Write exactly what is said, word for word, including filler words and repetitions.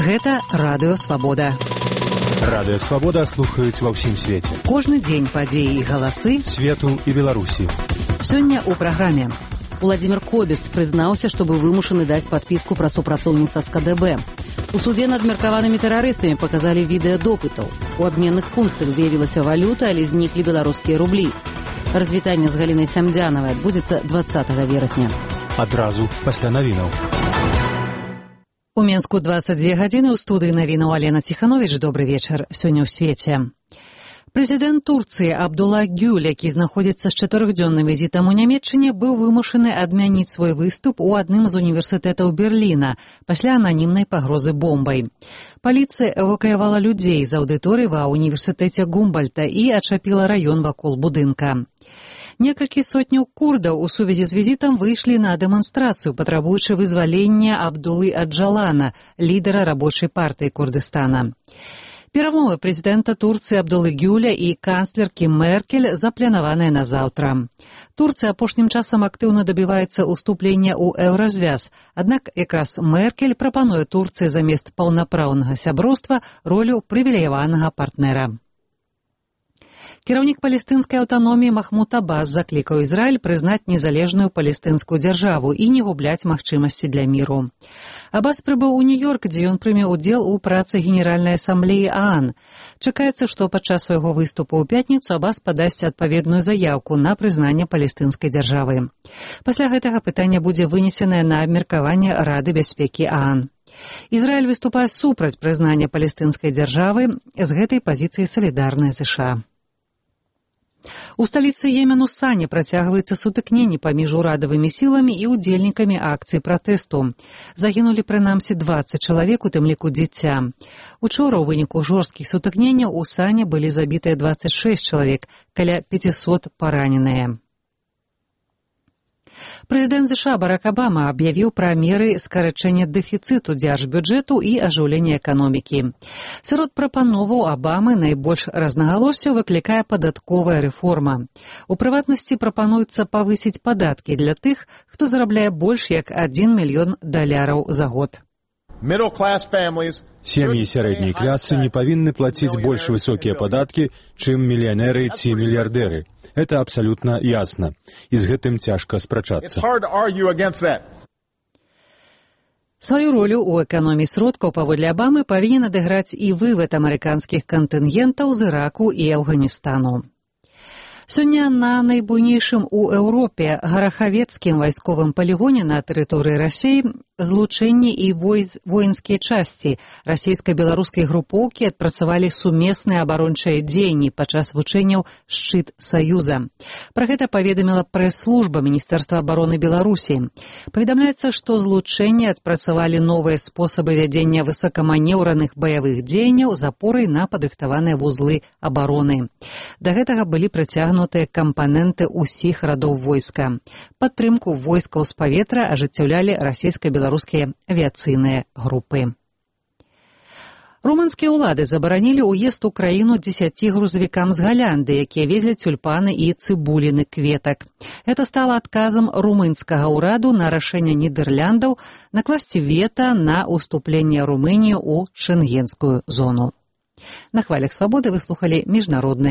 Гэта Радыё Свабода. Радыё Свабода слухаюць ва ўсім свеце. Кожны дзень падзеі і галасы свету і Беларусі. Сёння ў праграме. Владзімир Кобец прызнаўся, што быў вымушаны даць падпіску пра супрацоўніцтва з ка дэ бэ. У судзе над меркаванымі тэрарыстамі паказалі відэа допытаў. У абменных пунктах з'явілася валюта, але зніклі беларускія рублі. Развітанне з Галінай Сямдзянавай адбудзецца дваццатага верасня. Адразу пасля навінаў. У Менску дваццаць дзве гадзіны, ў студыі навінаў Алена Ціхановіч. Добры вечар. Сёння ў свеце. Прэзідэнт Турцыі Абдулла Гюль, які знаходзіцца з чатырохдзённым візітам у Нямецчыне, быў вымушаны адмяніць свой выступ у адным з універсітэтаў Берліна пасля ананімнай пагрозы бомбай. Паліцыя эвакуявала людзей з аўдыторыі ва універсітэце Гумбольта і ачапіла раён вакол будынка. Некалькі сотняў курдаў у сувязі з візітам выйшлі на дэманстрацыю, патрабуючы вызвалення Абдуллы Аджалана, лідара рабочай партыі Курдыстана. Перамовы прэзідэнта Турцыі Абдуллы Гюля і канцлеркі Меркель запланаваныя на заўтра. Турцыя апошнім часам актыўна дабіваецца ўступлення ў еўразвяз, аднак якраз Меркель прапануе Турцыі замест паўнапраўнага сяброўства ролю прывілеяванага партнера. Кіраўнік палестынскай аўтаноміі Махмуд Аббас заклікаў Ізраіль прызнаць незалежную палестынскую дзяржаву і не губляць магчымасці для міру. Аббас прыбыў у Нью-Йорк, дзе ён прыме ўдзел у працы Генеральнай асамблеі ААН. Чакаецца, што падчас свайго выступу ў пятніцу Аббас падасць адпаведную заяўку на прызнанне палестынскай дзяржавы. Пасля гэтага пытанне будзе вынесенае на абмеркаванне Рады бяспекі ААН. Ізраіль выступае супраць прызнання палестынскай дзяржавы, з гэтай пазіцыі салідарныя ЗША. У сталіцы Йемену Сане працягваецца сутыкненне паміж урадавымі сіламі і ўдзельнікамі акцыі пратэсту. Загінулі прынамсі дваццаць чалавек, у тым ліку дзіця. Учора ў выніку жорсткіх сутыкненняў у Сане былі забітыя дваццаць шэсць чалавек, каля пяцісот параненыя. Прэзідэнт ЗША Барак Абама аб'явіў пра меры скарачэння дэфіцыту дзяржбюджэту і ажыўлення эканомікі. Сярод прапановаў Абамы найбольш рознагалоссяў выклікае падатковая рэформа. У прыватнасці прапануецца павысіць падаткі для тых, хто зарабляе больш як адзін мільён даляраў за год. Сем'і сярэдняй класы не павінны плаціць больш высокія падаткі, чым мільянеры ці мільярдэры. Это абсалютна ясна. І з гэтым цяжка спрачацца. Сваю ролю ў эканоміі сродкаў паводле Абамы павінен адыграць і вывад амерыканскіх кантынгентаў з Іраку і Афганістану. Сёння на найбуйнейшым у Еўропе гарахавецкім вайсковым палігоне на тэрыторыі Расіі злучэнні і воінскія часці расійска-беларускай групоўкі адпрацавалі сумесныя абарончыя дзеянні падчас вучэнняў «Шчыт Саюза». Пра гэта паведаміла прэс-служба Міністэрства абароны Беларусі. Паведамляецца, што злучэнні адпрацавалі новыя спосабы вядзення высокаманеўраных баявых дзеянняў з апорай на падрыхтаваныя вузлы абароны. Да гэтага былі прыцягнутыя кампаненты ўсіх радоў войска. Падтрымку войскаў з паветра ажыццяўлялі расійска-беларускія беларускія авіяцыйныя групы. Румынскія ўлады забаранілі ўезд у краіну дзесяці грузавікам з Галянды, якія везлі тюльпаны і цыбуліны кветак. Гэта стала адказам румынскага ўраду на рашэнне Нідэрляндаў накласці вета на ўступленне Румыніі ў шэнгенскую зону. На хвалях свабоды вы слухалі міжнародныя